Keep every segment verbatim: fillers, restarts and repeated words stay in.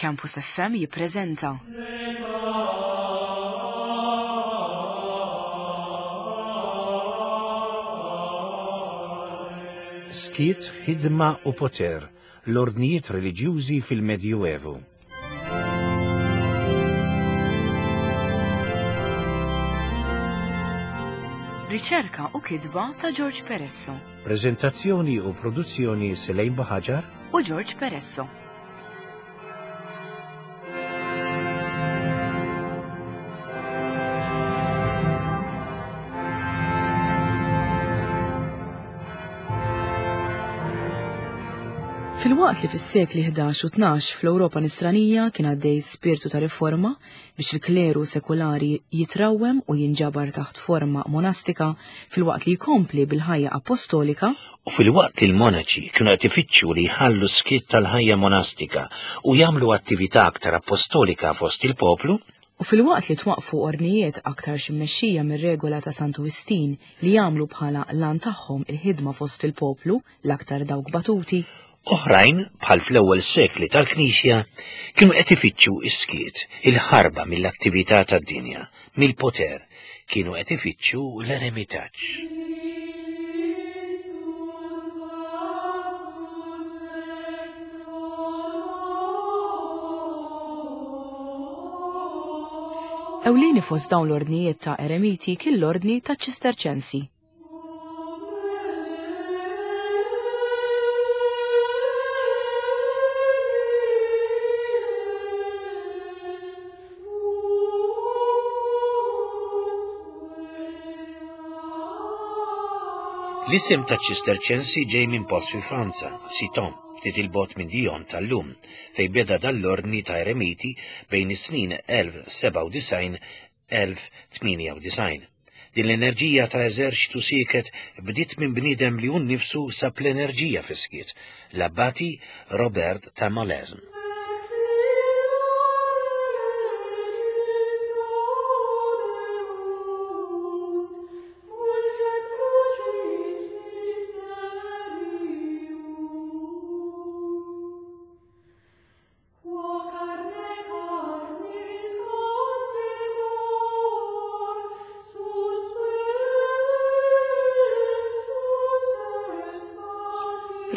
Campus F M jippreżenta Skiet, ħidma u poter, l-ordnijiet reliġjużi fil-Medjuevu. Riċerka u kitba ta' George Peresso. Prezentazzjoni u produzzjoni Selejn Buħaġar u George Peresso. Filwaqt li fis-sekli ħdax u tnax fl-Ewropa nisranija kien għaddej spirtu ta' riforma biex il-kleru sekulari jitrawwem u jinġabar taħt forma monastika filwaqt li jkompli bil-ħajja apostolika, U filwaqt li l-monaċi kienu qed ifittxu li jħallu skiet tal-ħajja monastika u jagħmlu attività aktar apostolika fost il-poplu, u filwaqt li twaqfu ordnijiet aktar immexxija mir-regola ta' Santu Wistin li jagħmlu bħala lan tagħhom il-ħidma fost il-poplu l-aktar dawk batuti, oħrajn, bħal fl-ewwel sekli tal-Knisja, kienu qed ifittxu is-skiet, il-ħarba mill-attività tad-dinja, mill-poter, kienu qed ifittxu l-eremitaġġ. Ewlieni fost dawn l-ordnijiet ta' eremiti kien l-ordni ta' Ċisterċensi. L-isem ta' Ċisterċensi ġej minn post fi Franza, Citeaux, ftit il-bogħod minn Dijon tal-lum, fej beda dal-ordni ta' eremiti bejn is-snin elf sebgħa u disgħin elf tmienja u disgħin. Din l-enerġija ta' eżerċtu sieket bdiet minn bniedem li hu nnifsu sab l-enerġija fis-skiet, l-abbati Robert ta' Molesme.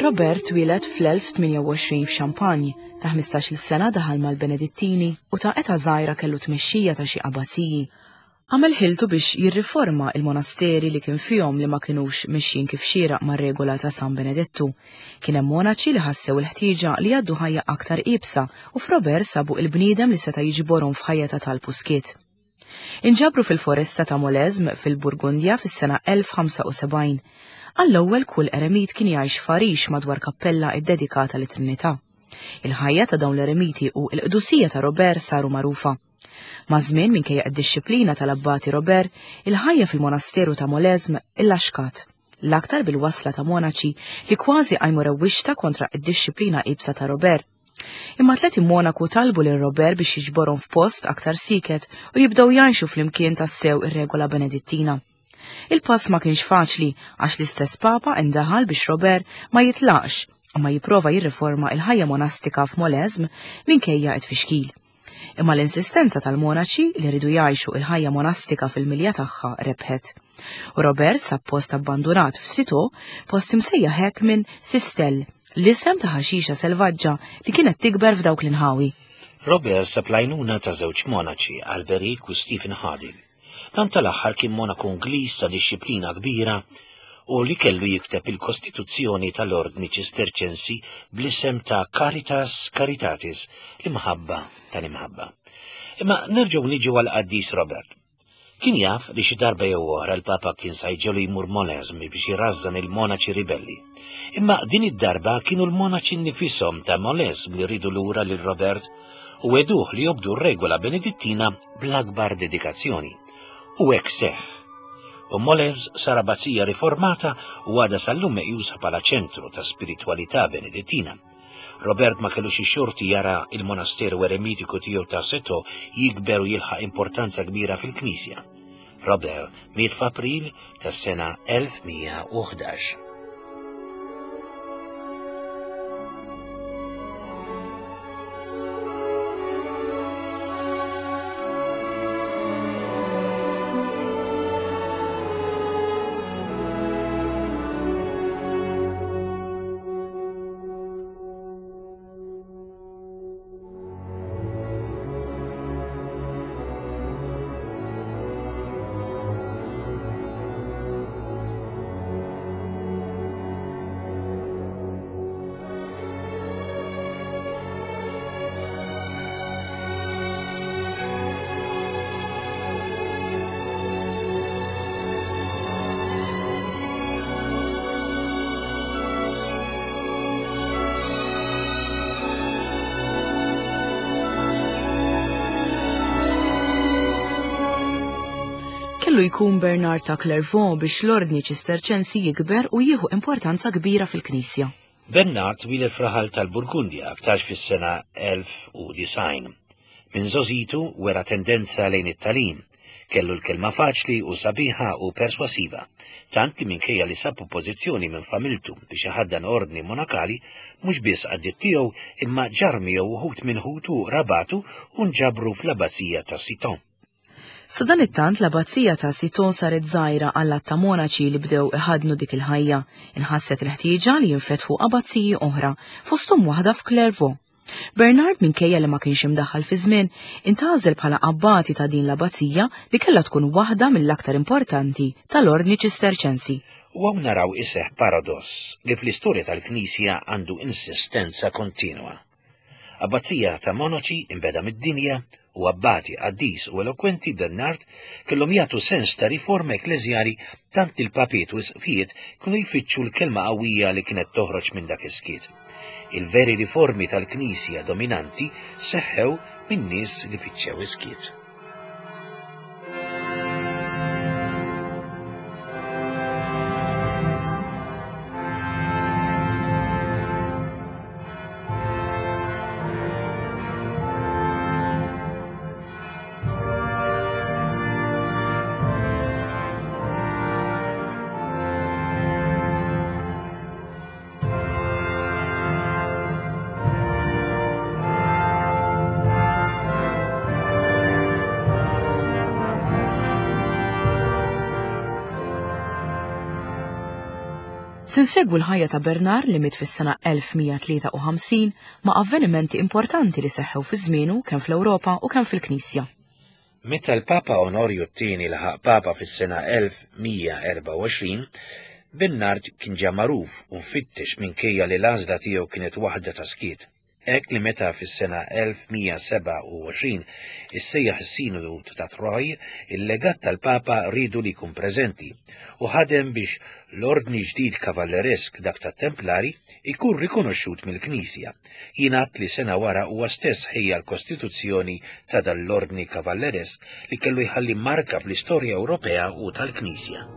Robert twieled fl-elf tmienja u għoxrin f'Champagne, ta' ħmistax-il sena daħal mal-Benedittini u ta' età żgħira kellu tmexxija ta' xi abbaziji. Għamel ħiltu biex jirriforma il-monasteri li kien fihom li ma kinux mixjin kif xieraq mar-regola ta' San Benedettu. Kien hemm monaċi li ħassew il-ħtieġa li jgħaddu ħajja aktar iebsa u f'Robert sabu il-bniedem li seta' jiġborhom f'ħajja ta' talb u skiet. Inġabru fil-foresta ta' Molesme fil-Burgundja fis-sena elf ħamsa u sebgħin. Għall-ewwel kull eremit kien jgħix f'Arix madwar kappella ddedikata lit-Trinità. Il-ħajja ta' dawn l-eremiti u l-qdusija ta' Robert saru magħrufa. Maż-żmien minkejja d-dixxiplina tal-abbati Robert, il-ħajja fil-monasteru ta' Molesme illaxkat, l-aktar bil-wasla ta' monaċi li kważi qajmu rewwixta kontra d-dixxiplina iebsa ta' Robert. Imma tleti monaku talbu lil Robert biex jiġborhom f'post aktar siket u jibdew jgħixu flimkien tassew ir-regola Benedittina. Il-pass ma kienx faċli għax l-istess Papa indaħal biex Robert ma jitlaqx u ma jipprova jirriforma il-ħajja monastika f'Molesme minkejja t-tfixkil. Imma l-insistenza tal-monaċi li rridu jgħixu il-ħajja monastika fil-milja tagħha rebħet. U Robert sab post abbandunat f'Citeaux, post imsejjaħ hekk minn Sistel, l-isem ta' ħaxixa selvaġġa li kienet tikber f'dawk l-inħawi. Robert sab l-għajnuna ta' żewġ monaċi, Alberic u Stephen Harding. Dan tal-aħħar kien monaku Ingliż ta' dixxiplina kbira u li kellu jikteb il-Kostituzzjoni tal-Ordni Ċisterċensi bl-isem ta' Caritas Caritatis, l-imħabba tal-imħabba. Imma nerġgħu niġu għal qaddis Robert. Kien jaf li xi darba jew oħra l-Papa kien sa jġelu jmur Molesme biex jrażżan il-monaċi ribelli. Imma din id-darba kienu l-monaċi nnifisom ta' Molesme li rridu lura lil Robert u weduh li jobdu r-regola Benedittina bl-akbar dedikazzjoni. U hekk seħħ. U Molesme sar abbazija riformata u għadha sal-lum meqjusa bħala ċentru ta' spiritwalità Benedittina. Robert ma kellux ix-xorti jara il-monasteru eremitiku tiegħu ta' Citeaux jikber u jilħaq importanza kbira fil-Knisja. Robert miet f'April tas-sena elf mija u ħdax. Kellu jkun Bernard ta' Clairvaux biex l-ordni Ċisterċensi jikber u jieħu importanza kbira fil-Knisja. Bernard twieled f'raħal tal-Burgundja aktarx fis-sena elf u disgħin. Minn żgħożitu wera tendenza lejn it-tagħlim. Kellu l-kelma faċli u sabiħa u perswasiva, tant li minkejja li sab oppożizzjoni minn familtu biex iħaddan ordni monakali, mhux biss għaddiet tiegħu imma ġar miegħu wħud minn ħutu rabatu u nġabru fl-abbazija ta' Citeaux. Sadanittant l-abbazija ta' Citeaux saret żgħira għall ta' monaċi li bdew iħadnu dik il-ħajja. Inħasset il-ħtieġa li jinfetħu abbaziji oħra, fosthom waħda f'Clairvaux. Bernard, minkejja li ma kienx imdaħħal fi żmien, intgħażel bħala abbati ta' din l-abbazija li kellha tkun waħda mill-aktar importanti tal-ordni Ċisterċensi. U hawn naraw iseħ paradoss li fl-istorja tal-Knisja għandu insistenza kontinwa. Abbazija ta' monaċi imbeda mid-dinja u abbati qaddis u elokwenti Bernard kellhom jagħtu sens ta' riforma ekkleżjali tant li l-papiet u isqfijiet kienu jfittxu l-kelma qawwija li kienet toħroġ minn dak is-skiet. Il-veri riformi tal-Knisja dominanti seħħew minn nies li fittxew is-skiet. Se nsegwu l-ħajja ta' Bernard li miet fis-sena elf mija tlieta u ħamsin ma' avvenimenti importanti li seħħew fi żmienu kemm fl-Ewropa u kemm fil-Knisja. Meta l-Papa Onorju t-tieni laħaq Papa fis-sena elf mija erbgħa u għoxrin, Bernard kien ġa magħruf u mfittex minkejja li l-għażla tiegħu kienet waħda ta' skiet. Hekk li meta fis-sena elf mija sebgħa u għoxrin issejjaħ is-Sinodu ta' Troy, il-legat tal-Papa riedu li jkun preżenti u ħadem biex l-ordni ġdid kavalleresk dak tat-Templari ikun rikonoxxut mill-Knisja. Jingħad li sena wara huwa stess ħejja l-Kostituzzjoni ta' dan l-ordni kavalleresk li kellu jħalli marka fl-istorja Ewropea u tal-Knisja.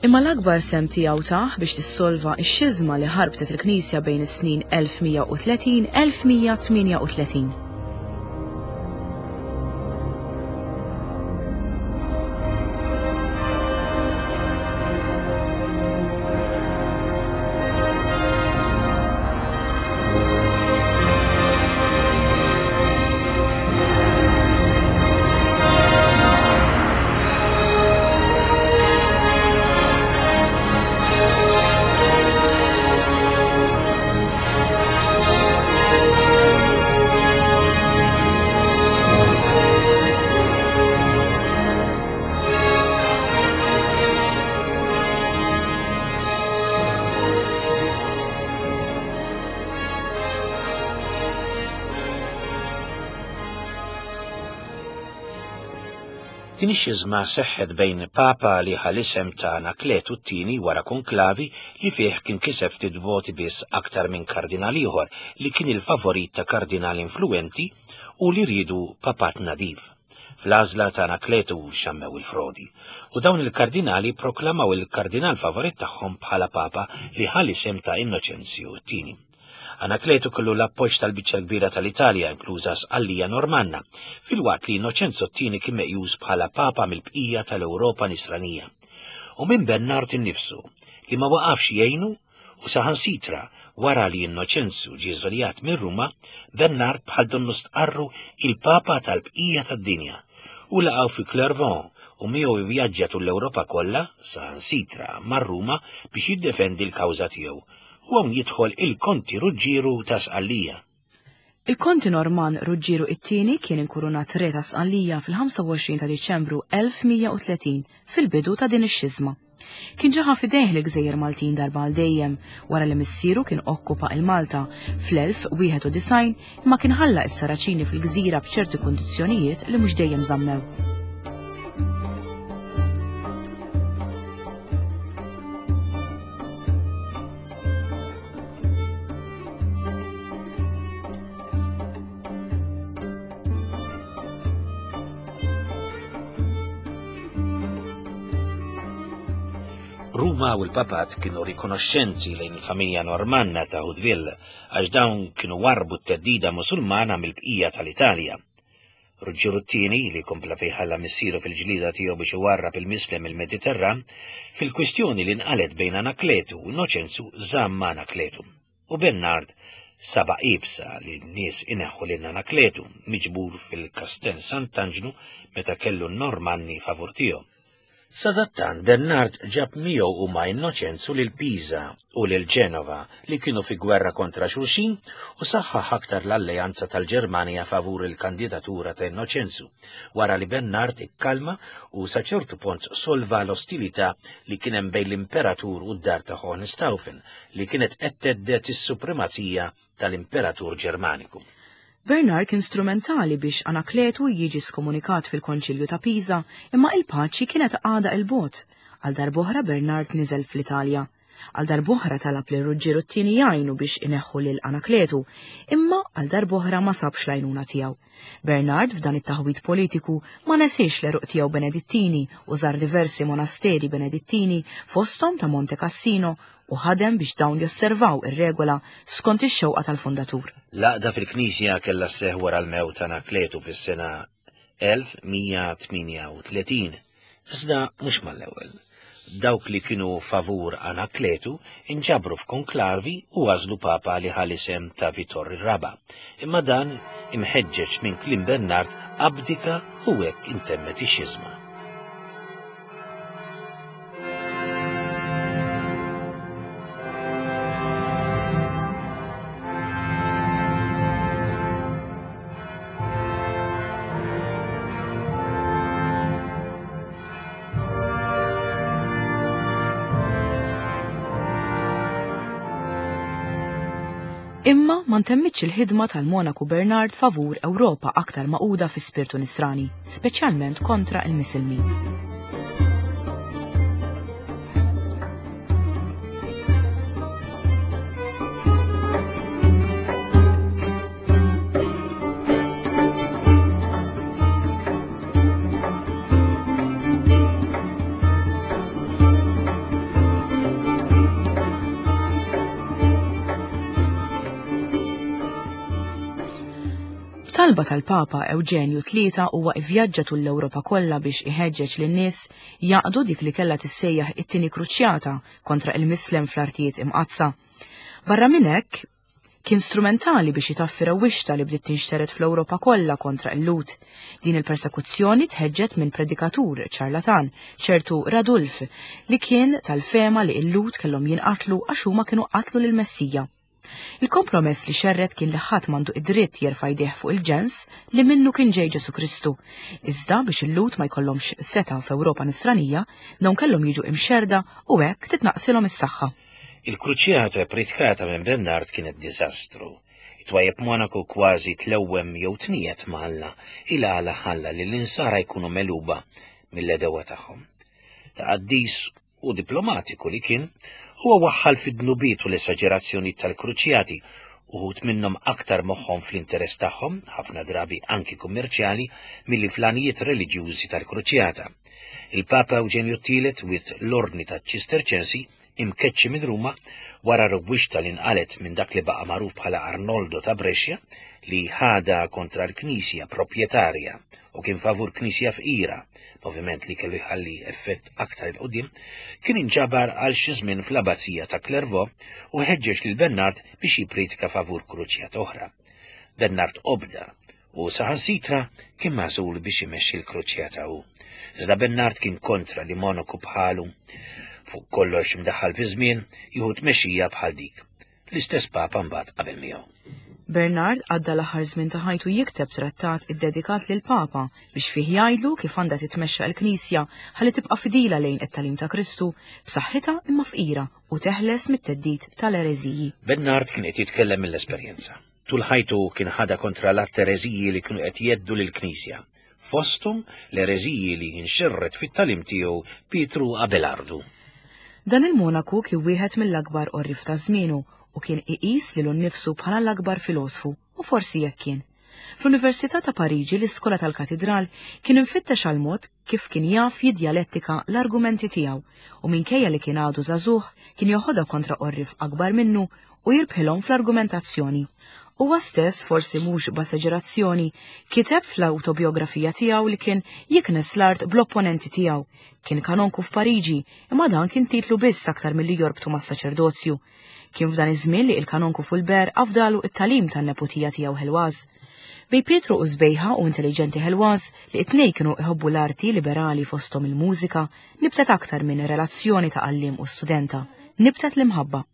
Imma l-akbar sem tiegħu tah biex tissolva x-xiżma li ħarbtet il-Knisja bejn is-snin elf mija u tletin elf mija tmienja u tletin. Din ix-xiżma seħħet bejn Papa li ħa l-isem ta' Anakletu t-tieni wara konklavi li fih kien kiseb ftit voti biss aktar minn kardinal ieħor li kien il-favorit ta' kardinal influenti u li riedu papat nadif. Fl-għażla ta' Anakletu xammew il-frodi u dawn il-kardinali proklamaw il-kardinal favorit tagħhom bħala Papa li ħa l-isem ta' Innoċenzju t-tieni. Anakletu kellu l-appoġġ tal-biċċa kbira tal-Italja, inkluża Sqallija Normanna, filwaqt li Innoċenzo t-tieni kien meqjus bħala Papa mill-bqija tal-Ewropa Nisranija. U minn Bernard innifsu, li ma waqafx jgħinu U saħansitra, wara li Innoċenzu ġie żoljat minn Ruma, Bernard bħal donnu stqarru il-Papa tal-bqija tad-dinja u laqgħu fi Clairvaux u miegħu ivvjaġġa tul l-Ewropa kollha, saħansitra mar Ruma biex jiddefendi l-kawża tiegħu. U hawn jidħol il-Konti Ruġġieru ta' Sqallija. Il-Konti Norman Ruġġieru it-tieni kien inkurunat re ta' Sqallija fil-ħamsa u għoxrin ta' Diċembru elf mija u tletin fil-bidu ta' din ix-xiżma. Kien ġaħa fidejh l-Gżejjer Maltin darba għal dejjem wara li missieru kien okkupa il-Malta fl-elf wieħed u disgħin imma kien ħalla s-Saraċini fil-gżira b'ċerti kundizzjonijiet li mhux dejjem żammew. Ruma u l-Papat kienu rikonoxxenti lejn il-familja Normanna ta' Hauteville għax dawn kienu warbu t-teddida Musulmana mill-bqija tal-Italja. Ruġġieru t-tieni, li kompla fejn ħalla missieru fil-ġlida tiegħu biex iwarrab il-Mislem il-Mediterran, fil-kwistjoni li nqalet bejn Anakletu u Innoċenzu żamm Anakletu. U Bernard saba ibsa li n-nies ineħħu lil Anakletu miġbur fil-Kastel Sant'Anġlu meta kellu n-Normanni favur tiegħu. Sadattant Bernard ġab miegħu u ma' Innoċenzu lil Pisa u lil Ġenova li kienu fi gwerra kontra xulxin u saħħaħ aktar l-alleanza tal-Ġermanja favur il-kandidatura ta' Innoċenzu, wara li Bernard ikkalma u sa ċertu punt solva l-ostilità li kien hemm bejn l-Imperatur u d-dar ta' Hohenstaufen li kienet qed teddet is-supremazija tal-Imperatur Ġermaniku. Bernard kien strumentali biex Anakletu jiġi skomunikat fil-Konċilju ta' Pisa, imma il-paċi kienet għada il-bot. Għal darb'oħra Bernard niżel fl-Italja. Għal darb'oħra talab lil Ruġġieru t-tieni jgħinu biex ineħħu lil Anakletu, imma għal darb'oħra ma sabx l-għajnuna tiegħu. Bernard f'dan it-taħwid politiku ma nesiex l-eruq tiegħu Benedittini u żar diversi monasteri Benedittini fosthom ta' Monte Cassino u ħadem biex dawn josservaw ir-regola skont ix-xewqa tal-fundatur. L-għaqda fil-Knisja kellha sseħħ wara l-mewt ta' Anakletu fis-sena elf mija tmienja u tletin, iżda mhux mal-ewwel. Dawk li kienu favur Anakletu inġabru f'konklavi u għażlu papa li ħa l-isem ta' Vitor ir-Raba'. Imma dan imħeġġeġ minn kliem Bernard abdika u hekk intemmet ix-xiżma. Imma ma ntemmitx il-ħidma tal-Monaku Bernard favur Ewropa aktar maquda fi spirtu nisrani, speċjalment kontra il-Misilmin. Talba tal-Papa Ewġenju tlieta huwa ivvjaġġa tul l-Ewropa kollha biex iħeġġeġ lin-nies jaqdu dik li kellha tissejjaħ it-tieni kruċjata kontra il-Mislem fl-artijiet imqaddsa. Barra minn hekk, kien strumentali biex itaffi rewwixta li bdiet tinxtered fl-Ewropa kollha kontra il-Lut. Din il-persekuzzjoni tħeġġet minn predikatur ċarlatan, ċertu Radulf, li kien tal-fema li il-Lut kellhom jinqatlu għax huma kienu qatlu lill-Messija. Il-kompromess li xerret kien li ħadd m'għandu id-dritt jerfa' jdejh fuq il-ġens li minnu kien ġej Ġesu Kristu. Iżda biex il-Lut ma jkollhomx setgħa f'Ewropa nisranija, dawn kellhom jiġu imxerda u hekk titnaqsilhom is-saħħa. Il-kruċjata pritkata minn Bernard kienet diżastru. It-twajjeb Monaco kważi tlewwem jew tniet ma' Alla, il għala ħalla li l-insara jkunu meluba mill-edewa tagħhom. Ta' qaddis u diplomatiku li kien, huwa waħħal fid-dnubiet u l-esaġerazzjoni tal-kruċjati, uħud minnhom aktar moħħhom fl-interess tagħhom, ħafna drabi anki kummerċjali, milli fl-għanijiet reliġjużi tal-kruċjata. Il-Papa Ewġenju t-tielet wit l-ordni taċ-Ċisterċensi imkeċċi minn Ruma wara rewwixta li nqalet minn dak li baqa' magħruf bħala Arnoldo ta' Brescia li ħada kontra l-Knisja proprjetarja u kien favur knisja fqira, moviment li kellu jħalli effett aktar 'il quddiem, kien inġabar għal xi żmien fl-abbazija ta' Clairvaux u ħeġġeġ lil Bernard biex jippriedka favur kruċjata oħra. Bernard obda u saħansitra kien magħżul biex imexxi l-kruċjata hu. Iżda Bernard kien kontra li monaku bħalu, fuq kollox imdaħħal fi żmien, jieħu tmexxija bħal dik. L-istess Papa mbagħad qabel miegħu. Bernard għadda l-aħħar żmien ta' ħajtu jikteb trattat iddedikat lil Papa biex fih jgħidlu kif għandha titmexxa l-Knisja ħalli tibqa' fidila lejn it-tagħlim ta' Kristu b'saħħitha imma fqira u teħles mit-theddid tal-ereżiji. Bernard kien qed jitkellem mill-esperjenza. Tul ħajtu kien ħadha kontra l-att ereżiji li kienu qed jgħeddu lill-Knisja. Fosthom l-ereżiji li nxerred fit-tagħlim tiegħu Pietru Abelardu. Dan il-monaku kien wieħed mill-akbar għorrief ta' żmienu u kien iqis lilu nnifsu bħala l-akbar filosfu, u forsi jekk kien. Fl-Università ta' Pariġi, l-iskola tal-Katidral, kien infittex għal mod kif kien jaf jiddjalettika l-argumenti tiegħu u minkejja li kien għadu żagħżugħ kien joħodha kontra għorrief akbar minnu u jirbħilhom fl-argumentazzjoni. Huwa stess, forsi mhux b'esaġerazzjoni, kiteb fl-awtobiografija tiegħu li kien jiknes l-art bl-opponenti tiegħu. Kien kanonku f'Pariġi, imma dan kien titlu biss aktar milli jorbtu mas-saċerdozju. Kien f'dan iż-żmien li il-kanonku Fulbert afdalu it-tagħlim tan-neputija tiegħu Heloise. Bejn Pietru u sbejħa u intelligenti Heloise, li it-tnejn kienu iħobbu l-arti liberali fosthom il-mużika, nibtet aktar minn relazzjoni ta' għalliem u studenta, nibtet l-imħabba.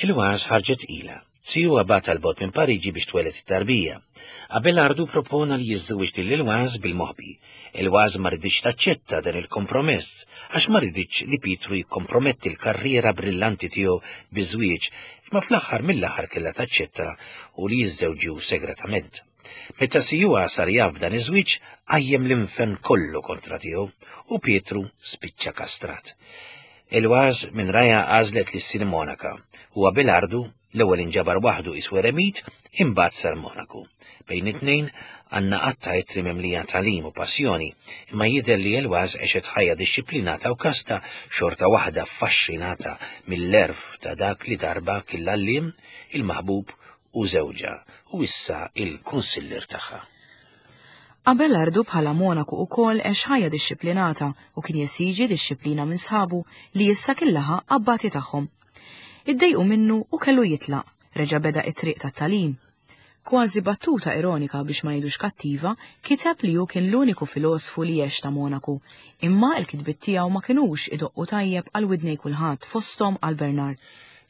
Heloise ħarġet tqila. Sijuha bagħat għal bogħod minn Pariġi biex tweled it-tarbija. Abelardu propona li jiżżewweġ lil Heloise bil-moħbi. Heloise ma riditx taċċetta dan il-kompromess għax ma riditx li Pietru jikkomprometti l-karriera brillanti tiegħu biż-żwieġ, imma fl-aħħar mill-aħħar kellha taċċetta u li jiżżewġu segretament. Meta sijuha sar jaf b'dan iż-żwieġ, qajjem l-infern kollu kontra tiegħu u Pietru spiċċa kastrat. Heloise minn raja għażlet li ssir monaka u Abelardu l-ewwel inġabar waħdu iswu eremit, imbagħad sar monaku. Bejn it-tnejn għandna qatta ittri mimlija tagħlim u passjoni, imma jidher li Heloise għexet ħajja dixxiplinata u kasta xorta waħda affaxxinata mill-erf ta' dak li darba kien l-għalliem, il-maħbub u żewġha, u issa il-kunsillier tagħha. Abelardu bħala monaku ukoll għex ħajja dixxiplinata u kien jesiġi dixxiplina minn sħabu li issa kien laħaq abbati tagħhom. Iddejqu minnu u kellu jitlaq, reġa' beda it-triq tat-tagħlim. Kważi battuta ironika biex ma ngħidux kattiva, kiteb li hu kien l-uniku filosfu li għex ta' monaku, imma l-kitbiet tiegħu ma kinux idoqqu tajjeb għal widnej kulħadd fosthom għal Bernard.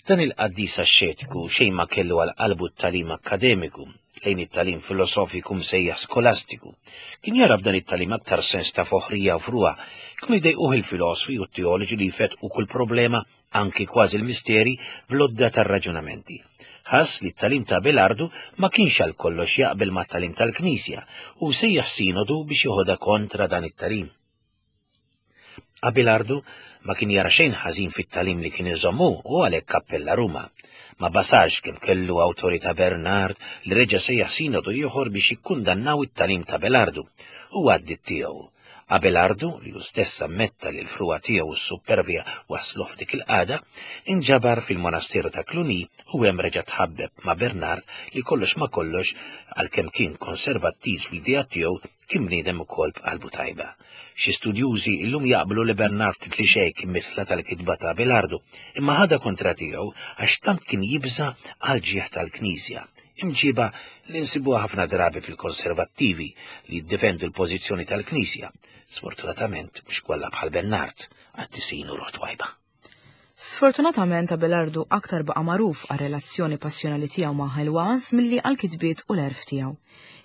Dan il-qaddis axxetiku xejn ma kellu għal qalbu t-tagħlim akkademiku, lejn it-tagħlim filosofiku msejjaħ skolastiku. Kien jara f'dan it-tagħlim aktar sens ta' foħrija u frugħa, kienu jdejquh il-filosfi u t-teoloġi li jfetqu kull problema, anki kważi l-misteri, bl-għodda tar-raġunamenti. Ħass li t-tagħlim ta' Abelardu ma kienx għal kollox jaqbel mat-tagħlim tal-Knisja u sejjaħ sinodu biex joħodha kontra dan it-tagħlim. Abelardu ma kien jara xejn ħażin fit-tagħlim li kien iżommu u għalhekk appella Ruma. Ma basax kemm kellu awtorità Bernard li reġa' sejjaħ sinodu ieħor biex jikkundannaw it-tagħlim ta' Abelardu u għaddit tiegħu. Abelardu, li hu stess ammetta li l-frugħa tiegħu u s-supervja wasluh f'dik il-qagħda, inġabar fil-monasteru ta' Cluny u hemm reġa' tħabbeb ma' Bernard li kollox ma kollox, għalkemm kien konservattiv fl-idea tiegħu, kien bniedem ukoll b'qalbu tajba. Xi studjużi illum jaqblu li Bernard ftit li xejn kien mitla tal-kitba ta' Abelardu, imma ħadha kontra tiegħu għax tant kien jibża' għal ġieħ tal-Knisja, imġiba li nsibuha ħafna drabi fil-konservattivi li jiddefendu l-pożizzjoni tal-Knisja. Sfortunatament mhux kollha bħal Bernard, qaddisin u ruħ twajba. Sfortunatament Abelardu aktar baqa' magħruf għar-relazzjoni passjonali tiegħu ma' Heloise milli għall-kitbiet u l-għerf tiegħu.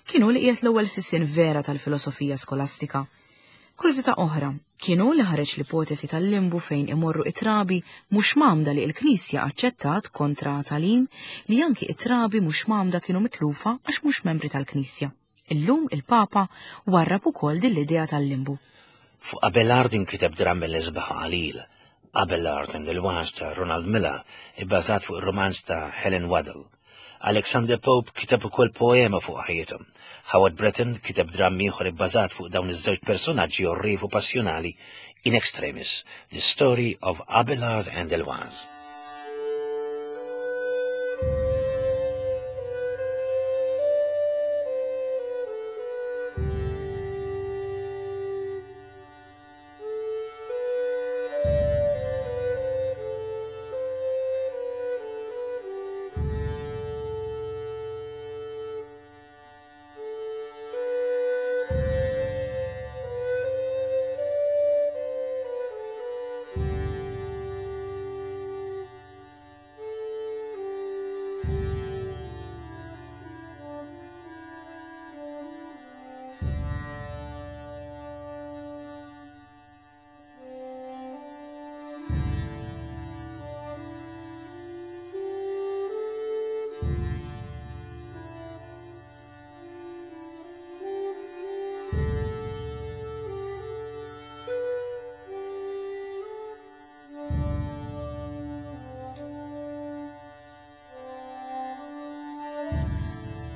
Kien hu li qiegħed l-ewwel sisien vera tal-filosofija skolastika. Kurżità oħra, kien hu li ħareġ l-ipotesi tal-limbu fejn imorru it-trabi mhux mgħammda li l-Knisja aċċettat kontra tagħlim li anki it-trabi mhux mgħammda kienu mitlufa għax mhux membri tal-Knisja. Illum il-Papa warrab ukoll din l-idea tal-limbu. Fuq Abelard inkiteb dramm mill-isbaħ qalil, Abelard and Heloise ta' Ronald Millar, ibbażat fuq ir-romanz ta' Helen Waddell. Alexander Pope kiteb ukoll poema fuq ħajjithom. Howard Bretton kiteb dramm ieħor ibbażat fuq dawn iż-żewġ personaġġi orriefu passjonali In Extremis, The Story of Abelard and Heloise.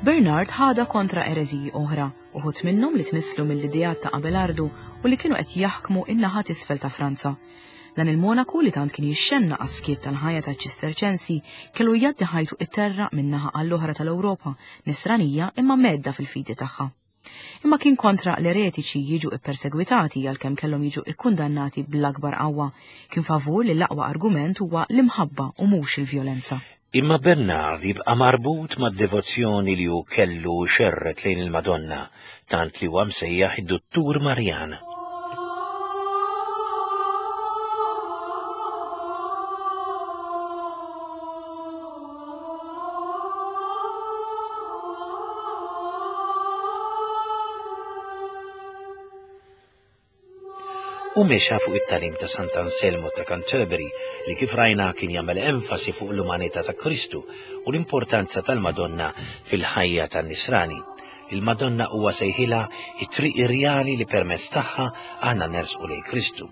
Bernard ħada kontra ereżiji oħra, uħud minnhom li tnisslu mill-ideat ta' Abelardu u li kienu qed jaħkmu in-naħa t'isfel ta' Franza. Dan il-monaku li tant kien jixxenna għas-skiet tal-ħajja taċ-Ċisterċensi kellu jgħaddi ħajtu it-terra min-naħa għall-oħra tal-Ewropa, nisranija imma medda fil-fidi tagħha. Imma kien kontra l-eretiċi jiġu ippersegwitati għalkemm kellhom jiġu ikkundannati bl-akbar qawwa. Kien favur li l-aqwa argument huwa l-imħabba u mhux il-vjolenza. Imma Bernard jibqa' marbut mad-devozzjoni li hu kellu xerret lejn il-Madonna, tant li huwa msejjaħ id-Duttur Marjan. U mexa fuq it-tagħlim ta' Sant'Anselmo ta' Canterbury li kif rajna kien jagħmel enfasi fuq l-umanità ta' Kristu u l-importanza tal-Madonna fil-ħajja tan-Nisrani. Il-Madonna huwa sejħilha it-triq irjali li permezz tagħha aħna nersqu lejn Kristu.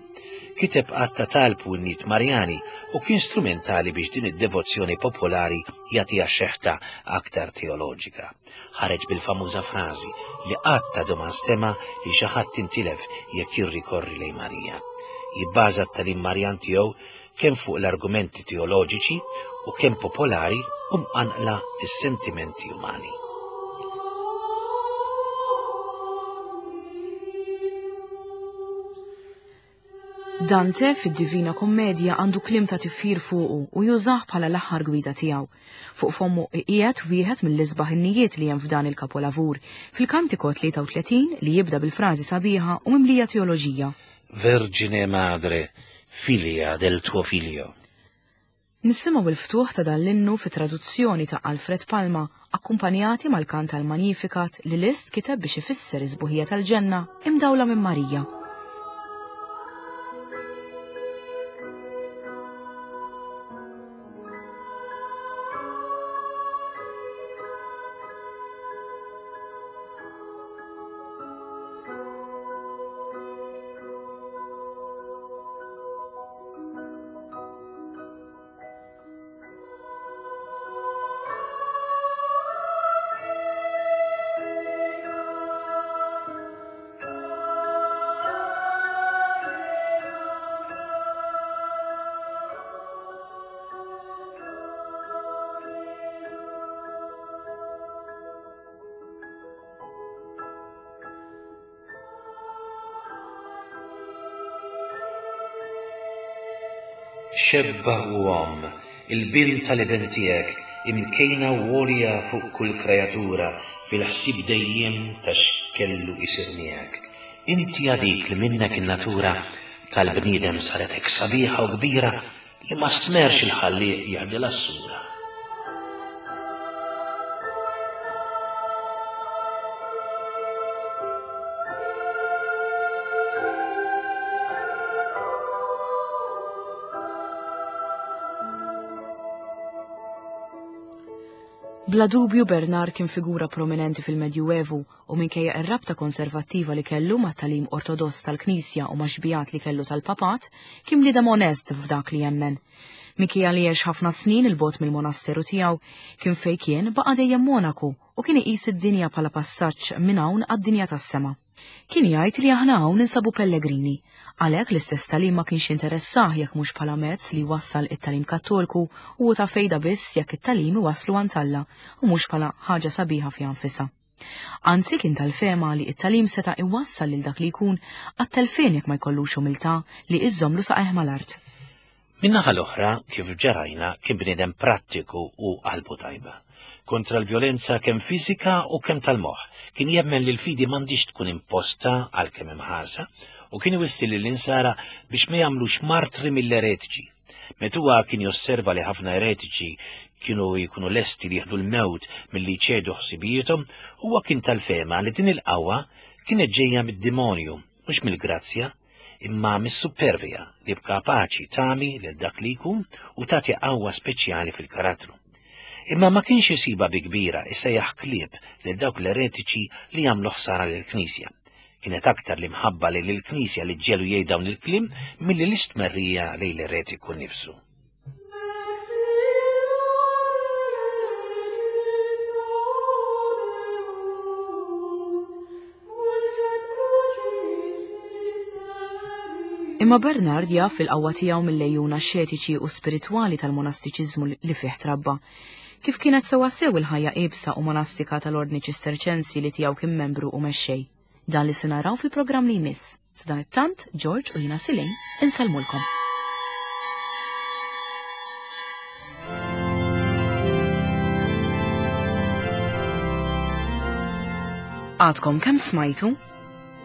Kiteb għadd ta' talb u innijiet Marjani u kien strumentali biex din id-devozzjoni popolari jagħtiha xeħta aktar teoloġika. Ħareġ bil-famuża frażi li qatt għadu ma nstema' li xi ħadd intilef jekk jirrikorri lejn Marija. Jibbaża t-tagħlim Marjan tiegħu kemm fuq l-argumenti teoloġiċi u kemm popolari u mqanqla s-sentimenti umani. Dante fid-Divina Kommedja għandu kliem ta' tifħir fuqu u jużah bħala l-aħħar gwida tiegħu. Fuq fommu qiegħed wieħed mill-isbaħ innijiet li hemm f'dan il-kapolavur, fil-Kantiko tlieta u tletin li jibda bil-frażi sabiħa u mimlija teoloġija. Vergine Madre, filia del tuo figlio. Nisimgħu l-ftuħ ta' dan l-innu fi traduzzjoni ta' Alfred Palma, akkumpanjati mal-kant tal-Magnificat li Liszt kiteb biex ifisser is-sbuħija tal-ġenna imdawla minn Marija. Xebba u omm, il-bint tal-iben tiegħek, imkejna u għolja fuq kull kreatura, fil-ħsieb dejjem ta' x'kellu isir miegħek. Inti għadik li minnek in-natura tal-bniedem saret hekk sabiħa u kbira li ma stmerx il-Ħallieq jagħdilha s-sura. Bla dubju Bernard kien figura prominenti fil-Medjuevu u minkejja ir-rabta konservattiva li kellu mat-tagħlim ortodoss tal-Knisja u ma' li kellu tal-Papat, kien bniedem onest f'dak li jemmen. Minkejja li għex ħafna snin il-bogħod mill-monasteru tiegħu, kien fejn kien baqa' dejjem monaku u kien iqis id-dinja bħala passaġġ minn hawn għad-dinja tas-sema. Kien jgħid li aħna hawn ninsabu pellegrini, għalhekk l-istess tagħlim ma kienx interessah jekk mhux bħala mezz li jwassal it-tagħlim Kattolku u ta' fejda biss jekk it-tagħlim iwasslu għand Alla u mhux bħala ħaġa sabiħa fiha nfisha. Anzi kien tal-fehma li it-tagħlim seta' iwassal lil dak li jkun għat-telfien jekk ma jkollux umiltà li iżżomlu saqajh mal-art. Min-naħa l-oħra, kif ġarajna, kien bniedem prattiku u qalbu tajba. Kontra l-vjolenza kemm fiżika u kemm tal-moħħ. Kien jemmen li l-fidi m'għandix tkun imposta għal kemm imħarsa u kien iwissi lill-insara biex ma jagħmlux martri mill-eretiċi. Meta huwa kien josserva li ħafna eretiċi kienu jkunu lesti li jieħdu l-mewt milli jċedu ħsibijiethom, huwa kien tal-fehma li din il-qawwa kienet ġejja mid-demonju, mhux mill-grazzja, imma mis-supervja li b'kapaċi tagħmi lil dak li jkun u tagħti qawwa speċjali fil-karattru. Imma ma kienx isiba bi kbira isejjaħ klieb lil dawk l-eretiċi li jagħmlu ħsara lill-Knisja. Kienet aktar l-imħabba lil il-Knisja li ġelu jgħid dawn il-kliem milli l-istmerrija lejn l-eretiku nnifsu. Imma Bernard jaf il-qawwa tiegħu mill-lejjuna xetiċi u spiritwali tal-monastiċiżmu li fih trabba. Kif kienet sewwasew il-ħajja iebsa u monastika tal-Ordni Ċisterċensi li tiegħu kien membru u mexxej. Dan li se naraw fil-programm li jmiss. Sadanittant, George u jiena Silin insellmulkom. Għadkom kemm smajtu?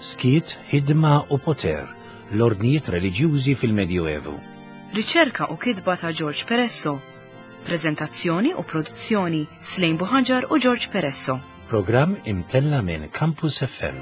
Skiet, ħidma u poter, l-ordnijiet reliġjużi fil-Medjuevu. Riċerka u kitba ta' George Peresso. Prezentazzjoni u produzzjoni Slejn Buħaġar u George Peresso. Programm imtella minn Campus F M.